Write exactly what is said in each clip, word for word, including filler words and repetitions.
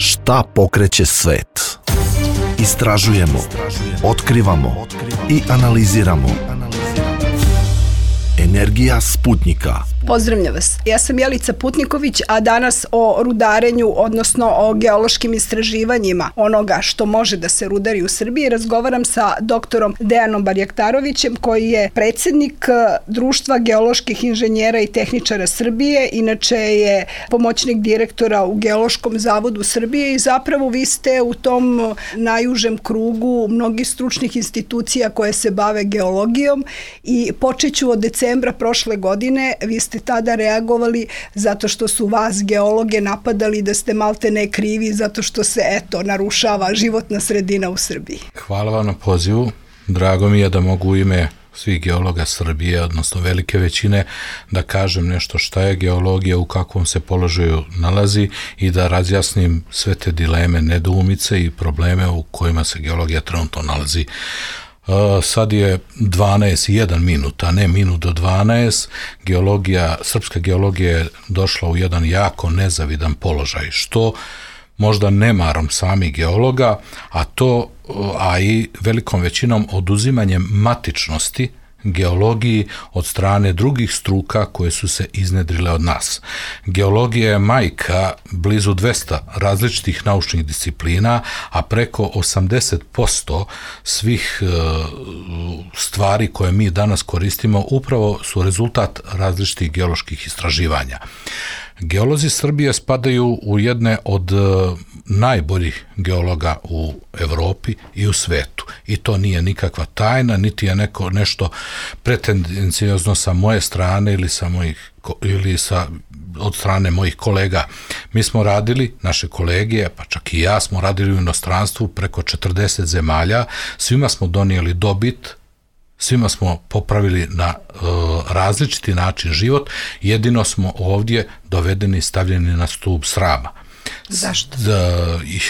Šta pokreće svet? Istražujemo, otkrivamo i analiziramo. Energija Sputnika. Pozdravljam vas. Ja sam Jelica Putniković, a danas o rudarenju, odnosno o geološkim istraživanjima onoga što može da se rudari u Srbiji, razgovaram sa doktorom Dejanom Barjaktarovićem, koji je predsjednik Društva geoloških inženjera i tehničara Srbije, inače je pomoćnik direktora u Geološkom zavodu Srbije i zapravo vi ste u tom najužem krugu mnogih stručnih institucija koje se bave geologijom i počeću od decembra prošle godine, vi ste tada reagovali zato što su vas geologe napadali da ste malte ne krivi zato što se, eto, narušava životna sredina u Srbiji. Hvala vam na pozivu. Drago mi je da mogu u ime svih geologa Srbije, odnosno velike većine, da kažem nešto šta je geologija, u kakvom se položaju nalazi i da razjasnim sve te dileme, nedoumice i probleme u kojima se geologija trenutno nalazi. Uh, sad je dvanaest i jedan minut, a ne minut do dvanaest. Geologija, srpska geologija je došla u jedan jako nezavidan položaj, što možda nemarom samih geologa, a to, a i velikom većinom oduzimanjem matičnosti geologiji od strane drugih struka koje su se iznedrile od nas. Geologija je majka blizu dvesta različitih naučnih disciplina, a preko osamdeset posto svih e, stvari koje mi danas koristimo upravo su rezultat različitih geoloških istraživanja. Geolozi Srbije spadaju u jedne od najboljih geologa u Evropi i u svetu. I to nije nikakva tajna, niti je neko nešto pretendencijozno sa moje strane ili sa mojih ili sa od strane mojih kolega. Mi smo radili, naše kolege, pa čak i ja smo radili u inostranstvu preko četrdeset zemalja, svima smo donijeli dobit, svima smo popravili na uh, različiti način život, jedino smo ovdje dovedeni i stavljeni na stup srama. Zašto?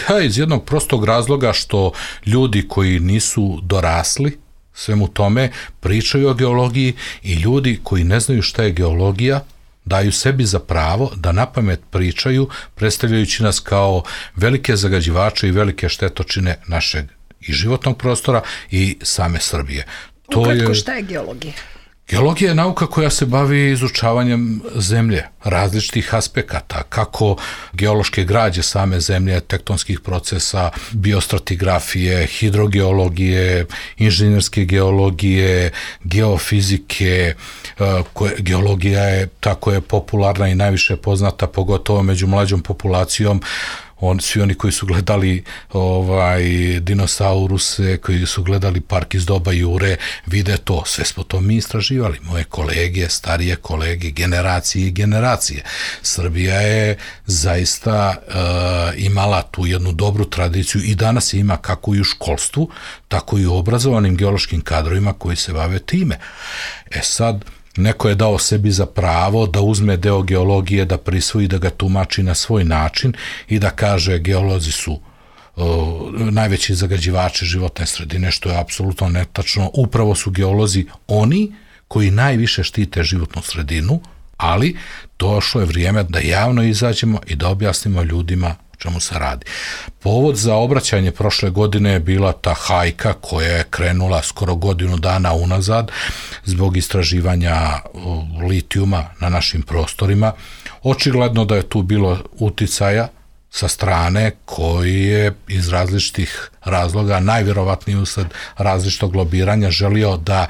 Ja, iz jednog prostog razloga što ljudi koji nisu dorasli svemu tome pričaju o geologiji i ljudi koji ne znaju šta je geologija daju sebi za pravo da napamet pričaju, predstavljajući nas kao velike zagađivače i velike štetočine našeg i životnog prostora i same Srbije. Ukratko, je, šta je geologija? Geologija je nauka koja se bavi izučavanjem zemlje, različitih aspekata, kako geološke građe same zemlje, tektonskih procesa, biostratigrafije, hidrogeologije, inženjerske geologije, geofizike. Koje, geologija je tako je popularna i najviše poznata, pogotovo među mlađom populacijom. On, svi oni koji su gledali ovaj, dinosauruse, koji su gledali Park iz doba Jure, vide to. Sve smo to mi istraživali. Moje kolege, starije kolege, generacije i generacije. Srbija je zaista uh, imala tu jednu dobru tradiciju i danas je ima kako i u školstvu, tako i u obrazovanim geološkim kadrovima koji se bave time. E sad, neko je dao sebi za pravo da uzme deo geologije, da prisvoji, da ga tumači na svoj način i da kaže geolozi su uh, najveći zagađivači životne sredine, što je apsolutno netačno. Upravo su geolozi oni koji najviše štite životnu sredinu, ali došlo je vrijeme da javno izađemo i da objasnimo ljudima čemu se radi. Povod za obraćanje prošle godine je bila ta hajka koja je krenula skoro godinu dana unazad zbog istraživanja litijuma na našim prostorima. Očigledno da je tu bilo uticaja sa strane koji je iz različitih razloga, najvjerovatnije usled različitog lobiranja, želio da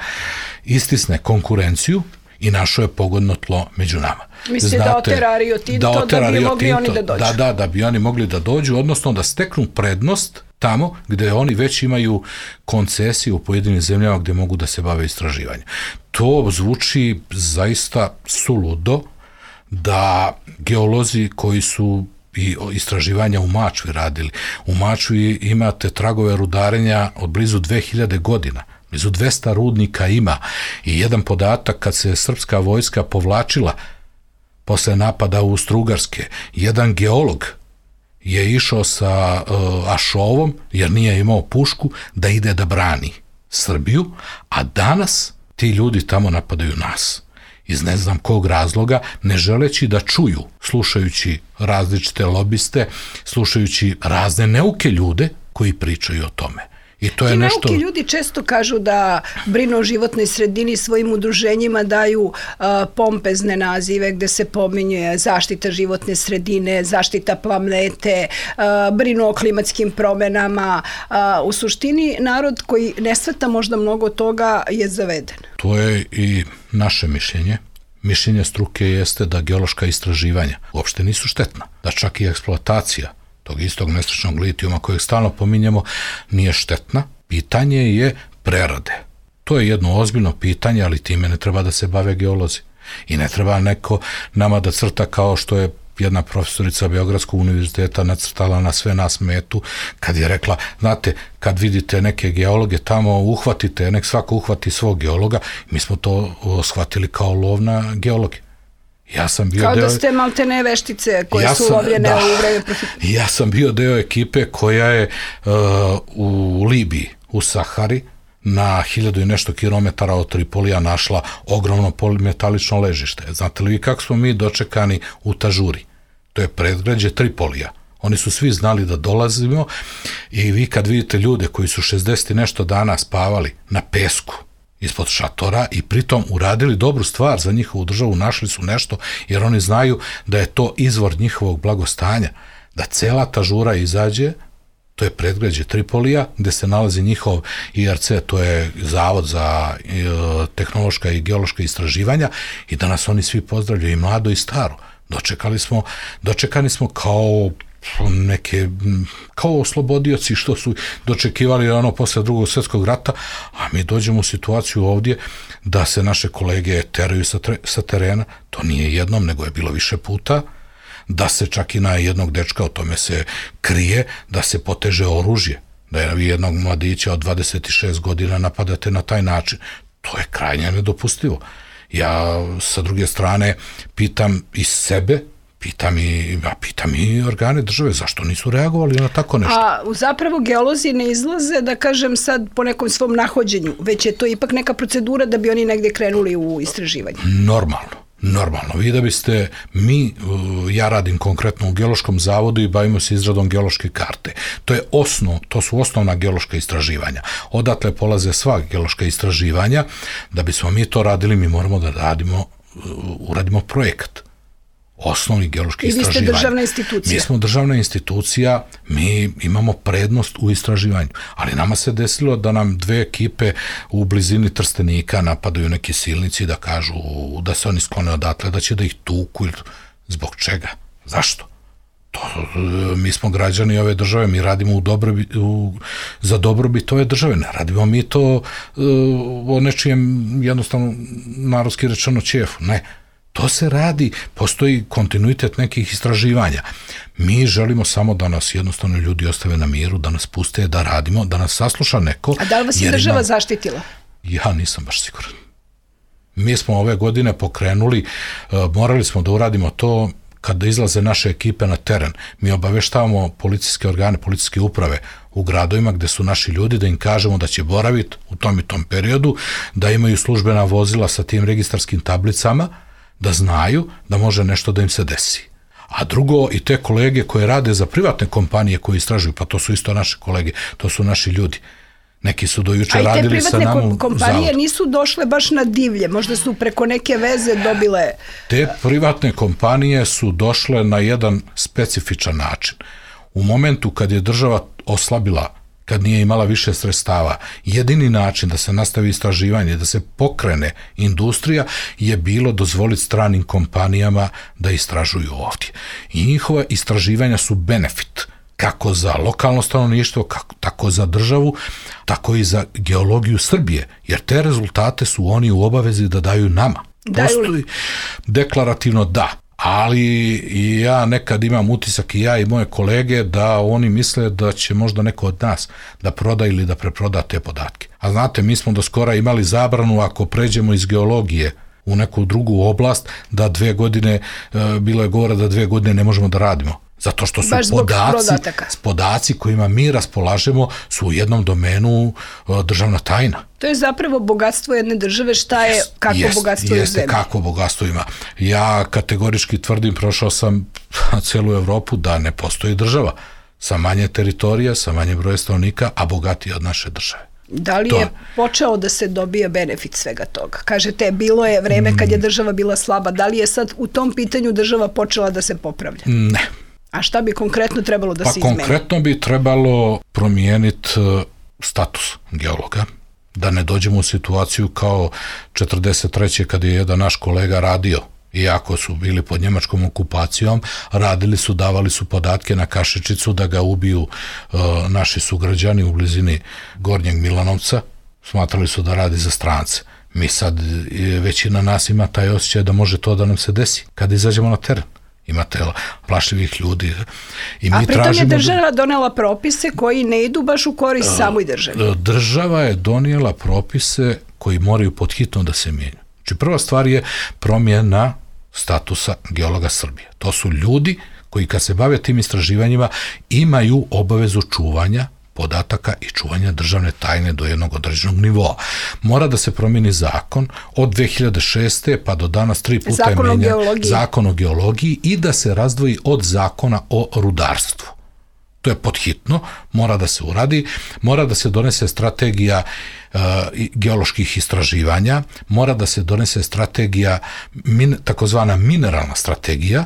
istisne konkurenciju i našo je pogodno tlo među nama. Mislite da otera Rio Tinto, da, da bi mogli Tinto, oni da dođu? Da, da, da bi oni mogli da dođu, odnosno da steknu prednost tamo gde oni već imaju koncesije u pojedinim zemljama gde mogu da se bave istraživanjem. To zvuči zaista suludo da geolozi koji su i istraživanja u Mačvi radili. U Mačvi imate tragove rudarenja od blizu dve hiljade godina. Blizu dvesta rudnika ima i jedan podatak kad se srpska vojska povlačila posle napada Austro-Ugarske, jedan geolog je išao sa uh, ašovom, jer nije imao pušku, da ide da brani Srbiju, a danas ti ljudi tamo napadaju nas. iz ne znam kog razloga, ne želeći da čuju, slušajući različite lobiste, slušajući razne neuke ljude koji pričaju o tome. I to je Ti nešto... neuki ljudi često kažu da brinu o životnoj sredini, svojim udruženjima daju uh, pompezne nazive gde se pominje zaštita životne sredine, zaštita planete, uh, brinu o klimatskim promenama. Uh, u suštini narod koji ne shvata možda mnogo toga je zaveden. To je i naše mišljenje. Mišljenje struke jeste da geološka istraživanja uopšte nisu štetna, da čak i eksploatacija tog istog nesrećnog litijuma kojeg stalno pominjemo nije štetna. Pitanje je prerade. To je jedno ozbiljno pitanje, ali time ne treba da se bave geolozi. I ne treba neko nama da crta kao što je jedna profesorica Beogradskog univerziteta nacrtala na sve nas metu kad je rekla, znate, kad vidite neke geologe tamo, uhvatite, nek svako uhvati svog geologa. Mi smo to shvatili kao lov na geologe. Ja sam bio kao deo... da ste maltene veštice koje ja su sam, lovljene da, u vreme profita. Ja sam bio deo ekipe koja je uh, u Libiji, u Sahari, na hiljadu i nešto kilometara od Tripolija našla ogromno polimetalično ležište. Znate li vi kako smo mi dočekani u Tažuri? To je predgrađe Tripolija. Oni su svi znali da dolazimo i vi kad vidite ljude koji su šezdeset i nešto dana spavali na pesku ispod šatora i pritom uradili dobru stvar za njihovu državu, našli su nešto jer oni znaju da je to izvor njihovog blagostanja, da cela Tažura izađe, to je predgrađe Tripolija, gde se nalazi njihov I R C, to je Zavod za tehnološka i geološka istraživanja, i da nas oni svi pozdravljaju, i mlado i staro. Dočekali smo, dočekani smo kao neke, kao oslobodioci što su dočekivali ono posle drugog svjetskog rata, a mi dođemo u situaciju ovdje da se naše kolege teraju sa, tre, sa terena, to nije jednom, nego je bilo više puta, da se čak i na jednog dečka, o tome se krije, da se poteže oružje, da je vi jednog mladića od dvadeset šest godina napadate na taj način. To je krajnje nedopustivo. Ja sa druge strane pitam i sebe, pitam i, ja pitam i organe države, zašto nisu reagovali na tako nešto? A zapravo geolozi ne izlaze, da kažem sad, po nekom svom nahođenju, već je to ipak neka procedura da bi oni negde krenuli u istraživanje. Normalno. Normalno, vi da biste, mi, ja radim konkretno u Geološkom zavodu i bavimo se izradom geološke karte. To je osnov, to su osnovna geološka istraživanja. Odatle polaze sva geološka istraživanja. Da bismo mi to radili, mi moramo da radimo, uradimo projekat. Osnovni geološki istraživanja. I vi ste državna institucija. Mi smo državna institucija, mi imamo prednost u istraživanju, ali nama se desilo da nam dve ekipe u blizini Trstenika napadaju neki silnici da kažu da se oni sklone odatle, da će da ih tuku. Zbog čega? Zašto? To, mi smo građani ove države, mi radimo u dobrobi, u, za dobrobit ove države, ne radimo mi to uh, o nečijem jednostavno narodski rečeno ćefu, ne. To se radi, postoji kontinuitet nekih istraživanja. Mi želimo samo da nas jednostavno ljudi ostave na miru, da nas puste, da radimo, da nas sasluša neko. A da li vas je država imam... zaštitila? Ja nisam baš siguran. Mi smo ove godine pokrenuli, uh, morali smo da uradimo to kada izlaze naše ekipe na teren. Mi obaveštavamo policijske organe, policijske uprave u gradovima gde su naši ljudi, da im kažemo da će boraviti u tom i tom periodu, da imaju službena vozila sa tim registarskim tablicama, da znaju da može nešto da im se desi. A drugo, i te kolege koje rade za privatne kompanije koje istražuju, pa to su isto naše kolege, to su naši ljudi. Neki su dojuče radili sa nama u zavodu. A i te privatne kompanije nisu došle baš na divlje, možda su preko neke veze dobile... Te privatne kompanije su došle na jedan specifičan način. U momentu kad je država oslabila, kad nije imala više sredstava, jedini način da se nastavi istraživanje, da se pokrene industrija, je bilo dozvoliti stranim kompanijama da istražuju ovdje. I njihova istraživanja su benefit, kako za lokalno stanovništvo, kako, tako za državu, tako i za geologiju Srbije, jer te rezultate su oni u obavezi da daju nama. Postoji deklarativno da, ali i ja nekad imam utisak, i ja i moje kolege, da oni misle da će možda neko od nas da proda ili da preproda te podatke. A znate, mi smo do skora imali zabranu ako pređemo iz geologije u neku drugu oblast, da dve godine, bilo je govora da dve godine ne možemo da radimo. Zato što su podaci, podaci kojima mi raspolažemo su u jednom domenu uh, državna tajna. To je zapravo bogatstvo jedne države, šta je, kako jest, bogatstvo jeste, je u zemlji. Kako bogatstvo ima. Ja kategorički tvrdim, prošao sam celu Evropu, da ne postoji država sa manje teritorija, sa manje broja stanovnika, a bogatija od naše države. Da li to je počeo da se dobija benefit svega toga? Kažete, bilo je vreme kad je država bila slaba. Da li je sad u tom pitanju država počela da se popravlja? Ne. A šta bi konkretno trebalo da pa se izmeni? Pa konkretno bi trebalo promijeniti status geologa, da ne dođemo u situaciju kao četrdeset treće kad je jedan naš kolega radio, iako su bili pod njemačkom okupacijom, radili su, davali su podatke na kašičicu da ga ubiju uh, naši sugrađani u blizini Gornjeg Milanovca, smatrali su da radi za strance. Mi sad, većina nas ima taj osjećaj da može to da nam se desi kada izađemo na teren. Imate plašljivih ljudi. I mi A pritom je država da... donela propise koji ne idu baš u korist uh, samoj državi. Država je donijela propise koji moraju podhitno da se mijenju. Znači prva stvar je promjena statusa geologa Srbije. To su ljudi koji kad se bave tim istraživanjima imaju obavezu čuvanja podataka i čuvanja državne tajne do jednog određenog nivoa. Mora da se promijeni zakon od dve hiljade šeste pa do danas tri puta zakon je menjan o zakon o geologiji i da se razdvoji od zakona o rudarstvu. To je podhitno, mora da se uradi, mora da se donese strategija uh, geoloških istraživanja, mora da se donese strategija, min, takozvana mineralna strategija,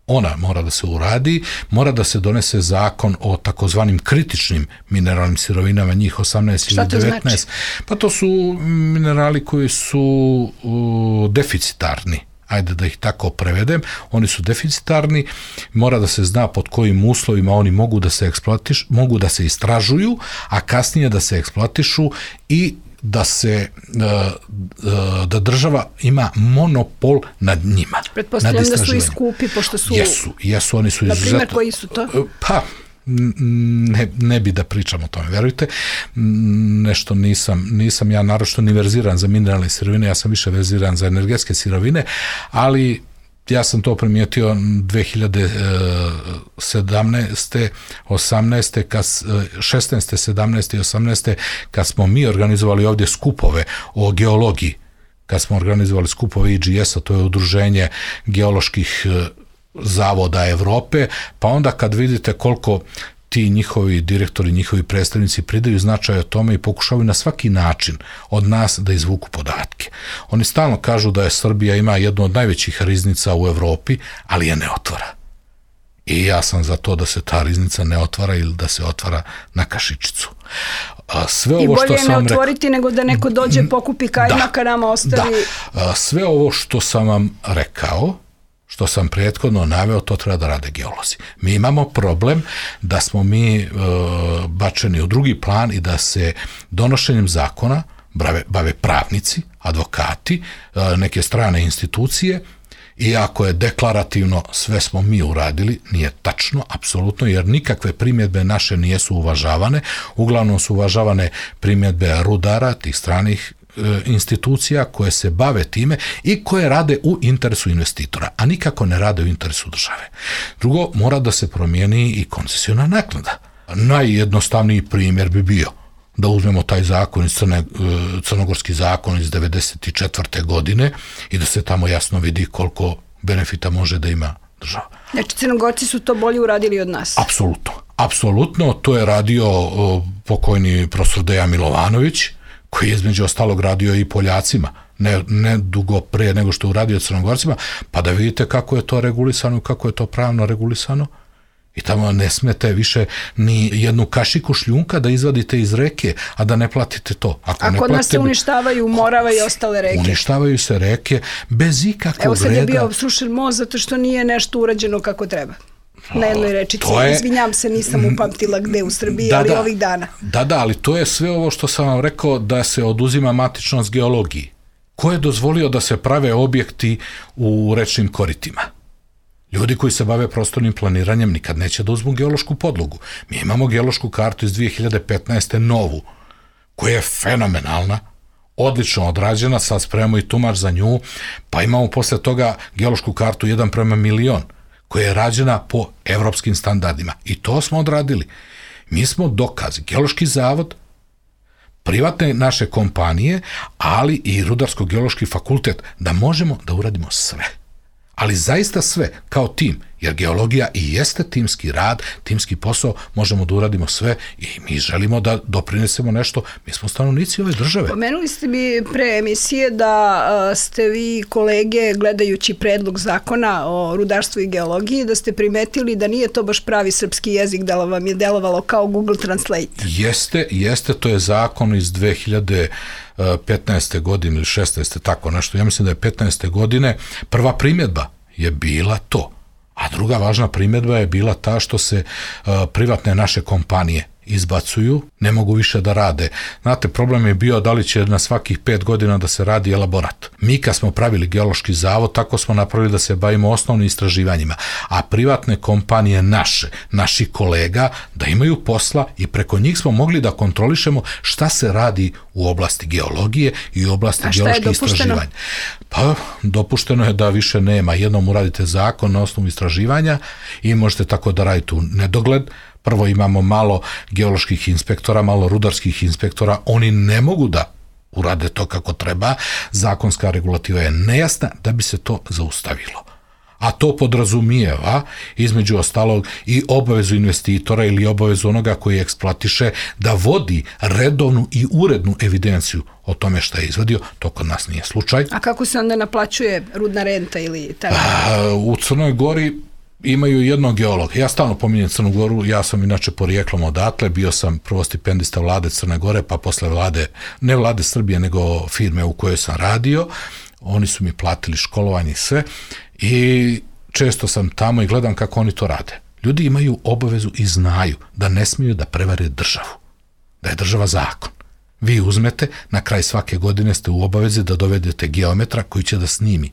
ona mora da se uradi, mora da se donese zakon o takozvanim kritičnim mineralnim sirovinama, njih osamnaest ili devetnaest. Znači? Pa to su minerali koji su uh, deficitarni. Ajde da ih tako prevedem, oni su deficitarni, mora da se zna pod kojim uslovima oni mogu da se eksploatiš, mogu da se istražuju, a kasnije da se eksploatišu i da se da država ima monopol nad njima. Pretpostavljam da su i skupi, pošto su... Jesu, jesu, oni su izuzetno... Na primjer, izuzetno... koji su to? Pa, ne, ne bi da pričam o tome, verujte, nešto nisam, nisam ja naročito ni verziran za mineralne sirovine, ja sam više verziran za energetske sirovine, ali ja sam to primijetio dve hiljade sedamnaeste, osamnaeste, šesnaeste, sedamnaeste i osamnaeste, kad smo mi organizovali ovdje skupove o geologiji, kad smo organizovali skupove I G S-a, to je udruženje geoloških zavoda Evrope, pa onda kad vidite koliko ti njihovi direktori, njihovi predstavnici pridaju značaj o tome i pokušavaju na svaki način od nas da izvuku podatke. Oni stalno kažu da je Srbija ima jednu od najvećih riznica u Evropi, ali je ne otvara. I ja sam za to da se ta riznica ne otvara ili da se otvara na kašičicu. Sve ovo I bolje što je sam ne otvoriti rekao, nego da neko dođe, pokupi kajmaka, da, nama ostavi... Da. Sve ovo što sam vam rekao, što sam prethodno naveo, to treba da rade geolozi. Mi imamo problem da smo mi e, bačeni u drugi plan i da se donošenjem zakona bave, bave pravnici, advokati, e, neke strane institucije, iako je deklarativno sve smo mi uradili, nije tačno, apsolutno, jer nikakve primjedbe naše nijesu uvažavane, uglavnom su uvažavane primjedbe rudara, tih stranih institucija koje se bave time i koje rade u interesu investitora, a nikako ne rade u interesu države. Drugo, mora da se promijeni i koncesiona naknada. Najjednostavniji primjer bi bio da uzmemo taj zakon iz Crne, crnogorski zakon iz devedeset četvrte godine i da se tamo jasno vidi koliko benefita može da ima država. Znači, Crnogorci su to bolje uradili od nas? Apsolutno. Apsolutno. To je radio pokojni profesor Dejan Milovanović, koji je između ostalog radio i Poljacima, ne, ne dugo pre nego što je uradio Crnogorcima, pa da vidite kako je to regulisano, kako je to pravno regulisano. I tamo ne smete više ni jednu kašiku šljunka da izvadite iz reke, a da ne platite to. Ako a ne kod platite, nas se uništavaju Morava i ostale reke. Uništavaju se reke bez ikakvog reda. Evo sad je bio obstrušen most zato što nije nešto urađeno kako treba. Na jednoj rečici. Je... Izvinjam se, nisam upamtila gde u Srbiji, da, ali da, ovih dana. Da, da, ali to je sve ovo što sam vam rekao da se oduzima matičnost geologiji. Ko je dozvolio da se prave objekti u rečnim koritima? Ljudi koji se bave prostornim planiranjem nikad neće da uzmu geološku podlogu. Mi imamo geološku kartu iz dve hiljade petnaeste novu, koja je fenomenalna, odlično odrađena, sad spremamo i tumač za nju, pa imamo posle toga geološku kartu jedan prema milion, koja je rađena po evropskim standardima. I to smo odradili. Mi smo dokazi, Geološki zavod, privatne naše kompanije, ali i Rudarsko-geološki fakultet, da možemo da uradimo sve. Ali zaista sve, kao tim, jer geologija i jeste timski rad, timski posao, možemo da uradimo sve i mi želimo da doprinesemo nešto, mi smo stanovnici ove države. Pomenuli ste mi pre emisije da ste vi kolege, gledajući predlog zakona o rudarstvu i geologiji, da ste primetili da nije to baš pravi srpski jezik, da vam je delovalo kao Google Translate. Jeste, jeste, to je zakon iz dve hiljade petnaeste godine ili šesnaeste, tako nešto, ja mislim da je petnaeste godine, prva primjedba je bila to. A druga važna primjedba je bila ta što se uh, privatne naše kompanije izbacuju, ne mogu više da rade. Znate, problem je bio da li će na svakih pet godina da se radi elaborat. Mi kad smo pravili Geološki zavod, tako smo napravili da se bavimo osnovnim istraživanjima, a privatne kompanije naše, naših kolega, da imaju posla i preko njih smo mogli da kontrolišemo šta se radi u oblasti geologije i u oblasti geoloških istraživanja. Pa, dopušteno je da više nema. Jednom uradite zakon na osnovu istraživanja i možete tako da radite u nedogled. Prvo imamo malo geoloških inspektora, malo rudarskih inspektora, oni ne mogu da urade to kako treba, zakonska regulativa je nejasna da bi se to zaustavilo. A to podrazumijeva, između ostalog, i obavezu investitora ili obavezu onoga koji eksploatiše da vodi redovnu i urednu evidenciju o tome šta je izvadio. To kod nas nije slučaj. A kako se onda naplaćuje rudna renta ili taj? A, u Crnoj Gori imaju jednog geologa. Ja stalno pominjem Crnu Goru, ja sam inače porijeklom odatle, bio sam prvo stipendista vlade Crne Gore, pa posle vlade, ne vlade Srbije, nego firme u kojoj sam radio. Oni su mi platili školovanje i sve i često sam tamo i gledam kako oni to rade. Ljudi imaju obavezu i znaju da ne smiju da prevare državu, da je država zakon. Vi uzmete, na kraj svake godine ste u obavezi da dovedete geometra koji će da snimi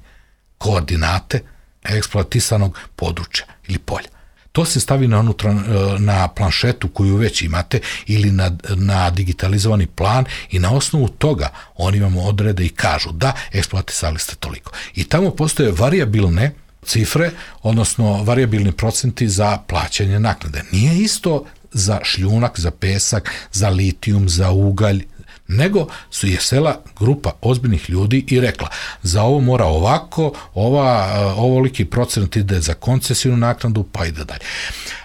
koordinate eksploatisanog područja ili polja. To se stavi na, unutra, na planšetu koju već imate ili na, na digitalizovani plan i na osnovu toga oni vam odrede i kažu da eksploatisali ste toliko. I tamo postoje varijabilne cifre, odnosno varijabilni procenti za plaćanje naknade. Nije isto za šljunak, za pesak, za litijum, za ugalj, nego su je sela grupa ozbiljnih ljudi i rekla za ovo mora ovako, ova, ovoliki procent ide za koncesijnu naknadu, pa ide dalje.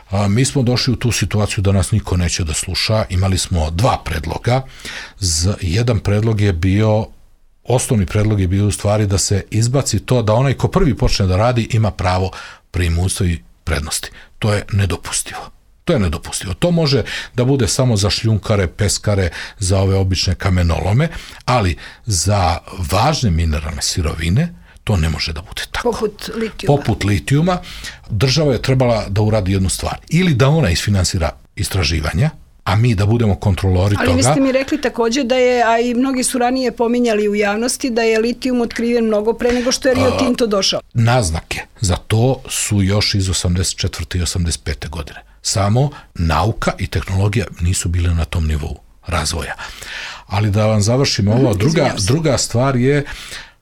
A, mi smo došli u tu situaciju da nas niko neće da sluša, imali smo dva predloga. Z, jedan predlog je bio, osnovni predlog je bio u stvari da se izbaci to da onaj ko prvi počne da radi ima pravo primustva i prednosti. To je nedopustivo. To je nedopustivo. To može da bude samo za šljunkare, peskare, za ove obične kamenolome, ali za važne mineralne sirovine to ne može da bude tako. Poput litijuma. Poput litijuma, država je trebala da uradi jednu stvar. Ili da ona isfinansira istraživanja, a mi da budemo kontrolori ali toga. Ali vi ste mi rekli također da je, a i mnogi su ranije pominjali u javnosti, da je litijum otkriven mnogo pre nego što je Rio Tinto došao. Naznake za to su još iz osamdeset četvrte i osamdeset pete godine. Samo nauka i tehnologija nisu bile na tom nivou razvoja. Ali da vam završim ovo, druga, druga stvar je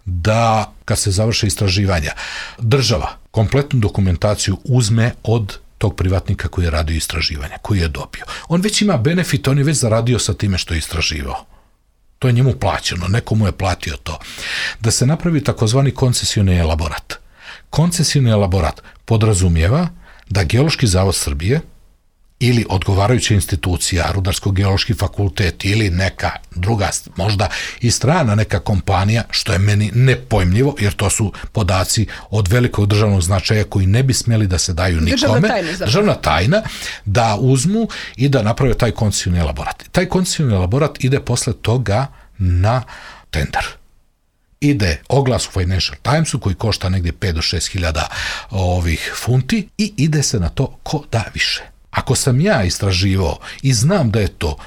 da kad se završe istraživanja, država kompletnu dokumentaciju uzme od tog privatnika koji je radio istraživanja, koji je dobio. On već ima benefit, on je već zaradio sa time što je istraživao. To je njemu plaćeno, neko mu je platio to. Da se napravi takozvani koncesioni elaborat. Koncesioni elaborat podrazumijeva da Geološki zavod Srbije ili odgovarajuća institucija, Rudarsko-geološki fakultet ili neka druga, možda i strana neka kompanija, što je meni nepojmljivo, jer to su podaci od velikog državnog značaja koji ne bi smjeli da se daju nikome. Državna tajna. Državna tajna, da uzmu i da naprave taj koncesioni elaborat. Taj koncesioni elaborat ide posle toga na tender. Ide oglas u Financial Timesu koji košta negdje pet do šest hiljada ovih funti i ide se na to ko da više. Ako sam ja istraživao i znam da je to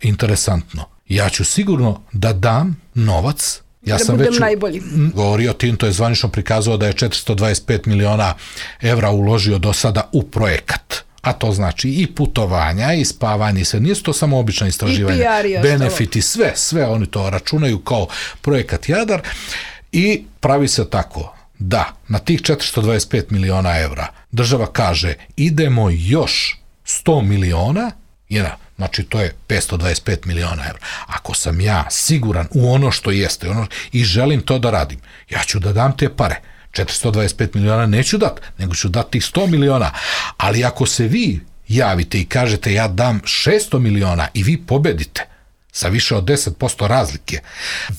interesantno, ja ću sigurno da dam novac. Ja da sam budem već najbolji. Govorio, Tinto je zvanično prikazao da je četiristo dvadeset pet miliona evra uložio do sada u projekat. A to znači i putovanja, i spavanje, i sve. Nije to samo obično istraživanje. Benefiti, sve, sve oni to računaju kao projekat Jadar i pravi se tako da na tih četiristo dvadeset pet miliona evra država kaže idemo još sto miliona, jedna, znači to je petsto dvadeset pet miliona evra. Ako sam ja siguran u ono što jeste ono, i želim to da radim, ja ću da dam te pare. četiristo dvadeset pet miliona neću dati, nego ću dati tih sto miliona. Ali ako se vi javite i kažete ja dam šesto miliona i vi pobedite sa više od deset posto razlike,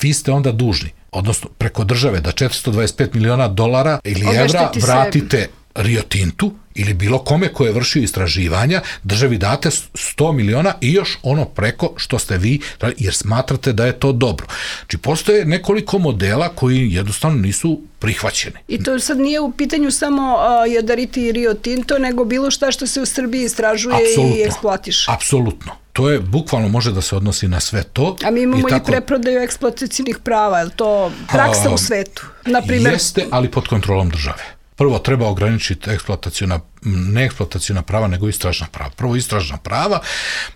vi ste onda dužni, odnosno preko države, da četiristo dvadeset pet miliona dolara ili evra vratite Rio Tintu ili bilo kome ko je vršio istraživanja, državi date sto miliona i još ono preko što ste vi, jer smatrate da je to dobro. Znači, postoje nekoliko modela koji jednostavno nisu prihvaćeni. I to sad nije u pitanju samo uh, jadariti Rio Tinto, nego bilo šta što se u Srbiji istražuje Apsolutno. I eksploatiše. Apsolutno. To je, bukvalno može da se odnosi na sve to. A mi imamo i, tako, i preprodaju eksploatacijnih prava, je li to praksa a, u svetu? Naprimjer, jeste, ali pod kontrolom države. Prvo treba ograničiti eksploatacijona, ne eksploatacijona prava, nego istražna prava. Prvo istražna prava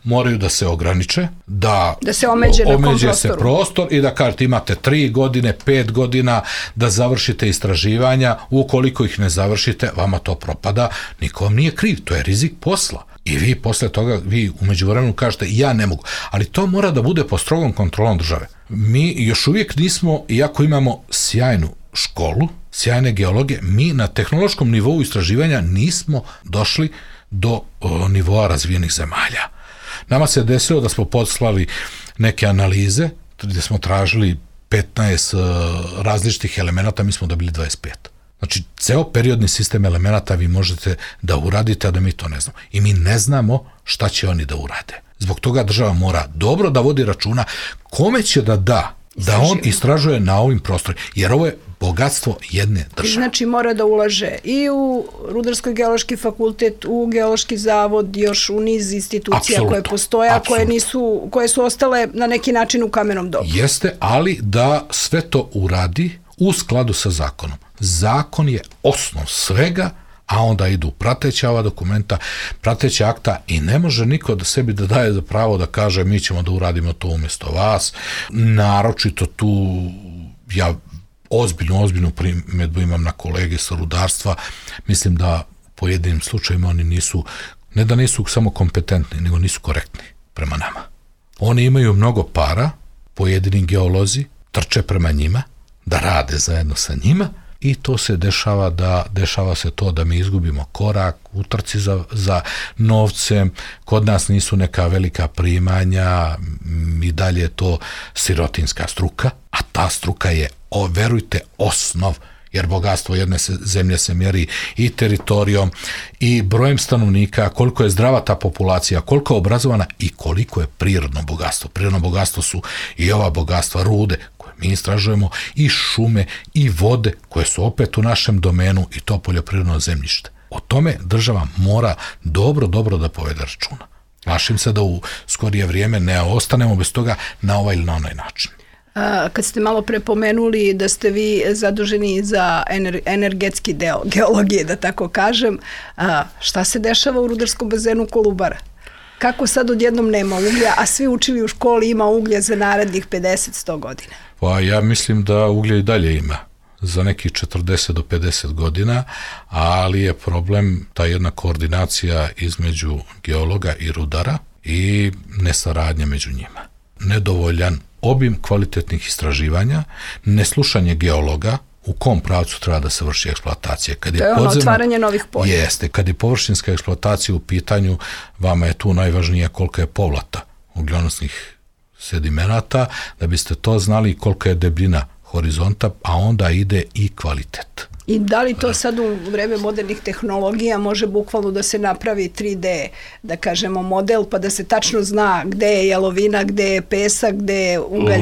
moraju da se ograniče, da, da se omeđe, omeđe se prostor i da kažete imate tri godine, pet godina da završite istraživanja, ukoliko ih ne završite, vama to propada, niko vam nije kriv, to je rizik posla. I vi posle toga, vi u međuvremenu kažete ja ne mogu, ali to mora da bude pod strogom kontrolom države. Mi još uvijek nismo, iako imamo sjajnu školu, sjajne geologe, mi na tehnološkom nivou istraživanja nismo došli do o, nivoa razvijenih zemalja. Nama se desilo da smo poslali neke analize gdje smo tražili petnaest o, različitih elemenata, mi smo dobili dvadeset pet. Znači, ceo periodni sistem elemenata vi možete da uradite, a da mi to ne znamo. I mi ne znamo šta će oni da urade. Zbog toga država mora dobro da vodi računa kome će da da da on istražuje na ovim prostorima, jer ovo je bogatstvo jedne države. Znači mora da ulaže i u Rudarsko-geološki fakultet, u Geološki zavod, još u niz institucija Absolutno. Koje postoje, a koje, nisu, koje su ostale na neki način u kamenom dobu. Jeste, ali da sve to uradi u skladu sa zakonom. Zakon je osnov svega, a onda idu prateća ova dokumenta, prateća akta i ne može niko da sebi da daje za pravo da kaže mi ćemo da uradimo to umjesto vas. Naročito tu ja ozbiljnu, ozbiljnu primjedbu imam na kolege sa rudarstva. Mislim da pojedinim slučajima oni nisu, ne da nisu samo kompetentni, nego nisu korektni prema nama. Oni imaju mnogo para, pojedini geolozi trče prema njima, da rade zajedno sa njima, i to se dešava da dešava se to da mi izgubimo korak u trci za, za novcem, kod nas nisu neka velika primanja, i dalje je to sirotinska struka, a ta struka je, o, verujte, osnov, jer bogatstvo jedne se, zemlje se mjeri i teritorijom i brojem stanovnika, koliko je zdrava ta populacija, koliko je obrazovana i koliko je prirodno bogatstvo. Prirodno bogatstvo su i ova bogatstva rude, mi istražujemo, i šume i vode koje su opet u našem domenu, i to poljoprivredno zemljište. O tome država mora dobro, dobro da povede računa. Plašim se da u skorije vrijeme ne ostanemo bez toga na ovaj ili na onaj način. A, kad ste malo prepomenuli da ste vi zaduženi za ener, energetski deo geologije, da tako kažem, a, šta se dešava u rudarskom bazenu Kolubara? Kako sad odjednom nema uglja, a svi učili u školi ima uglja za narednih pedeset do sto godina? Pa ja mislim da uglja i dalje ima za nekih četrdeset do pedeset godina, ali je problem ta jedna koordinacija između geologa i rudara i nesaradnja među njima. Nedovoljan obim kvalitetnih istraživanja, neslušanje geologa, u kom pravcu treba da se vrši eksploatacija. Kad je to je ono podzemno, otvaranje novih polja. Jeste, kad je površinska eksploatacija u pitanju, vama je tu najvažnije kolika je povlata ugljonosnih sedimenata, da biste to znali kolika je debljina horizonta, a onda ide i kvalitet. I da li to sad u vreme modernih tehnologija može bukvalno da se napravi tri D, da kažemo, model, pa da se tačno zna gde je jalovina, gde je pesak, gde je ugalj?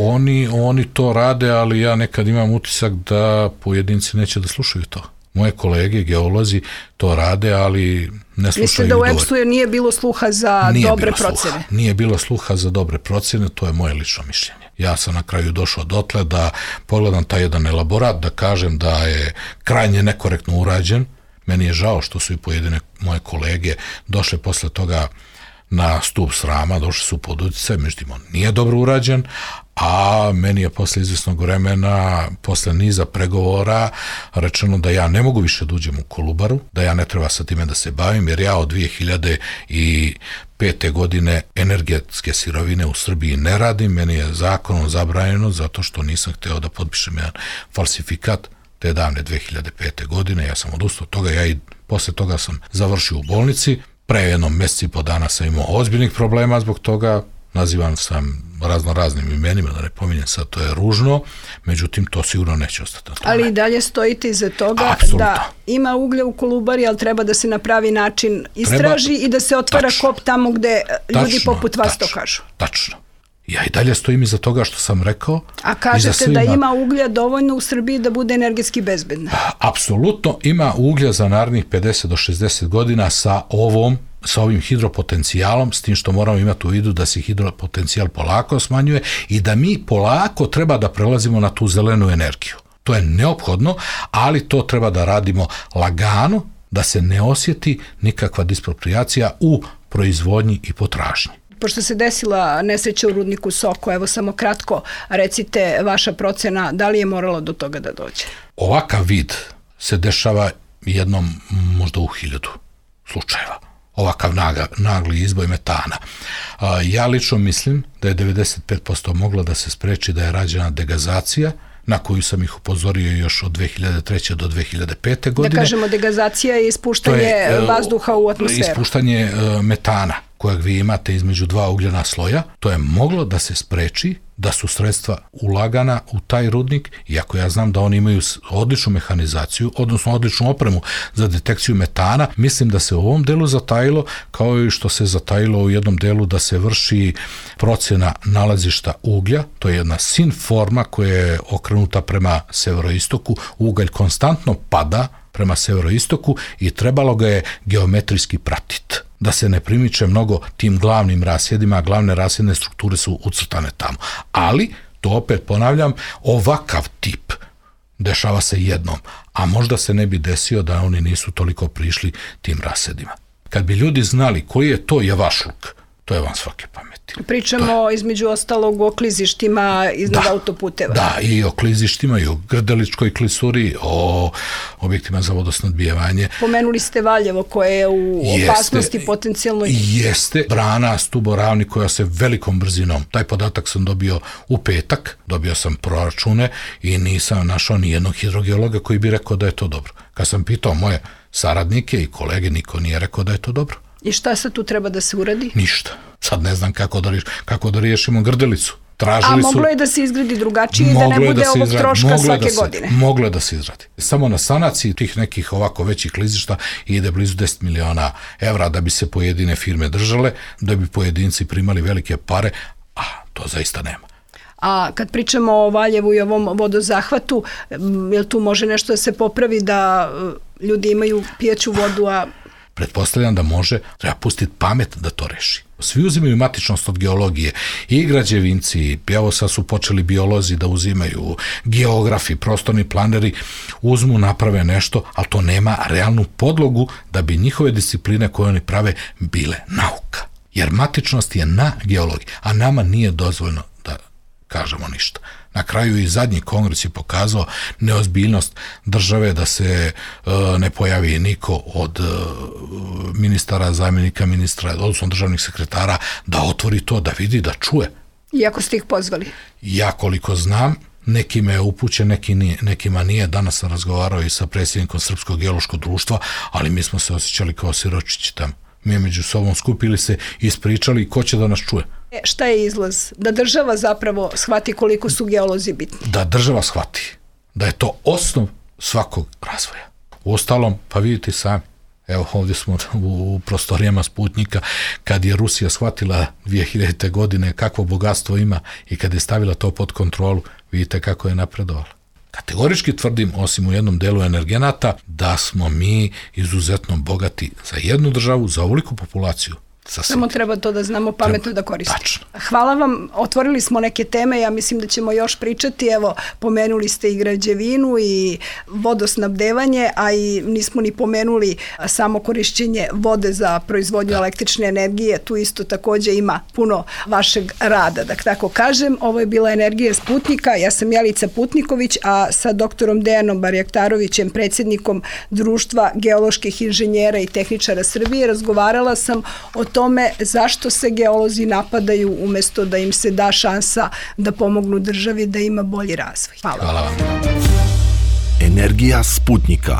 Oni, oni to rade, ali ja nekad imam utisak da pojedinci neće da slušaju to. Moje kolege, geolozi, to rade, ali ne slušaju. Mislim da u EPS-u nije bilo sluha za nije dobre procjene? Sluha. Nije bilo sluha za dobre procjene, to je moje lično mišljenje. Ja sam na kraju došao dotle da pogledam taj jedan elaborat, da kažem da je krajnje nekorektno urađen. Meni je žao što su i pojedine moje kolege došle posle toga na stup srama, došli su pod utjecaj, međutim on nije dobro urađen, a meni je posle izvjesnog vremena, posle niza pregovora rečeno da ja ne mogu više da uđem u Kolubaru, da ja ne treba sa time da se bavim, jer ja od dvije hiljade pete. godine energetske sirovine u Srbiji ne radim, meni je zakonom zabranjeno zato što nisam hteo da potpišem jedan falsifikat te davne dvije hiljade pete. godine, ja sam odustao od toga, ja i posle toga sam završio u bolnici, pre jednom mjeseci i po dana sam imao ozbiljnih problema zbog toga, nazivan sam razno raznim imenima, da ne pominjem sad, to je ružno, međutim to sigurno neće ostati na tome. Ali i dalje stojite iza toga Apsolutno. Da ima uglja u Kolubari, ali treba da se na pravi način istraži treba, i da se otvara tačno, kop tamo gde ljudi tačno, poput vas tačno, to kažu. Tačno. Ja i dalje stojim iza toga što sam rekao. A kažete svima, da ima uglja dovoljno u Srbiji da bude energetski bezbedna? Apsolutno ima uglja za narednih pedeset do šezdeset godina sa ovom sa ovim hidropotencijalom, s tim što moramo imati u vidu da se hidropotencijal polako smanjuje i da mi polako treba da prelazimo na tu zelenu energiju. To je neophodno, ali to treba da radimo lagano, da se ne osjeti nikakva disproprijacija u proizvodnji i potražnji. Pošto se desila nesreća u rudniku Soko, evo samo kratko recite vaša procena, da li je moralo do toga da dođe? Ovakav vid se dešava jednom možda u hiljadu slučajeva. Ovakav naga, nagli izboj metana. A, ja lično mislim da je devedeset pet posto mogla da se spreči da je rađena degazacija, na koju sam ih upozorio još od dvije hiljade treće. do dvije hiljade pete. godine. Da kažemo, degazacija je ispuštanje je, vazduha u atmosferu. Ispuštanje uh, metana kojeg vi imate između dva ugljena sloja, to je moglo da se spreči da su sredstva ulagana u taj rudnik, iako ja znam da oni imaju odličnu mehanizaciju, odnosno odličnu opremu za detekciju metana, mislim da se u ovom delu zatajilo, kao i što se zatajilo u jednom delu da se vrši procena nalazišta uglja, to je jedna sin forma koja je okrenuta prema severoistoku, ugalj konstantno pada prema severoistoku i trebalo ga je geometrijski pratiti, da se ne primiče mnogo tim glavnim rasjedima, a glavne rasjedne strukture su ucrtane tamo. Ali, to opet ponavljam, ovakav tip dešava se jednom, a možda se ne bi desio da oni nisu toliko prišli tim rasjedima. Kad bi ljudi znali koji je to javašluk, to je van svake pameti. Pričamo je, između ostalog o klizištima iznad da, autoputeva. Da, i o klizištima, i o Grdeličkoj klisuri, o objektima za vodosnabdijevanje. Pomenuli ste Valjevo koje je u jeste, opasnosti potencijalno. Jeste, brana Stuboravni koja se velikom brzinom, taj podatak sam dobio u petak, dobio sam proračune i nisam našao ni jednog hidrogeologa koji bi rekao da je to dobro. Kad sam pitao moje saradnike i kolege, niko nije rekao da je to dobro. I šta sad tu treba da se uradi? Ništa. Sad ne znam kako da, kako da riješimo Grdelicu. Tražili A moglo su, je da se izgradi drugačije i da ne bude da ovog izradi, troška svake da se, godine? Moglo je da se izradi. Samo na sanaciji tih nekih ovako većih klizišta ide blizu deset miliona evra da bi se pojedine firme držale, da bi pojedinci primali velike pare, a to zaista nema. A kad pričamo o Valjevu i ovom vodozahvatu, jel tu može nešto da se popravi da ljudi imaju pijeću vodu, a pretpostavljam da može, treba pustiti pamet da to reši. Svi uzimaju matičnost od geologije, i građevinci, evo sad su počeli biolozi da uzimaju, geografi, prostorni planeri, uzmu, naprave nešto, ali to nema realnu podlogu da bi njihove discipline koje oni prave bile nauka. Jer matičnost je na geologiji, a nama nije dozvoljno da kažemo ništa. Na kraju i zadnji kongres je pokazao neozbiljnost države da se e, ne pojavi niko od e, ministara, zamjenika ministra, odnosno državnih sekretara, da otvori to, da vidi, da čuje. Iako ste ih pozvali? Ja koliko znam, nekima je upućen, neki nije, nekima nije. Danas sam razgovarao i sa predsjednikom Srpskog geološkog društva, ali mi smo se osjećali kao siročići tamo. Mi među sobom skupili se, ispričali ko će da nas čuje. E, šta je izlaz? Da država zapravo shvati koliko su geolozi bitni? Da država shvati da je to osnov svakog razvoja. Uostalom, pa vidite sami, evo ovdje smo u prostorijama Sputnika, kad je Rusija shvatila dvije hiljadite. godine kakvo bogatstvo ima i kad je stavila to pod kontrolu, vidite kako je napredovala. Kategorički tvrdim, osim u jednom delu energenata, da smo mi izuzetno bogati za jednu državu, za ovoliku populaciju. Samo treba to da znamo pametno treba, da koristimo. Tačno. Hvala vam, otvorili smo neke teme, ja mislim da ćemo još pričati, evo, pomenuli ste i građevinu i vodosnabdevanje, a i nismo ni pomenuli samo korišćenje vode za proizvodnju da. električne energije, tu isto takođe ima puno vašeg rada, da tako kažem. Ovo je bila Energija Sputnika, ja sam Jelica Putniković, a sa doktorom Dejanom Barjaktarovićem, predsjednikom Društva geoloških inženjera i tehničara Srbije, razgovarala sam o tome zašto se geolozi napadaju umesto da im se da šansa da pomognu državi da ima bolji razvoj. Hvala. Hvala vam. Energija Sputnika.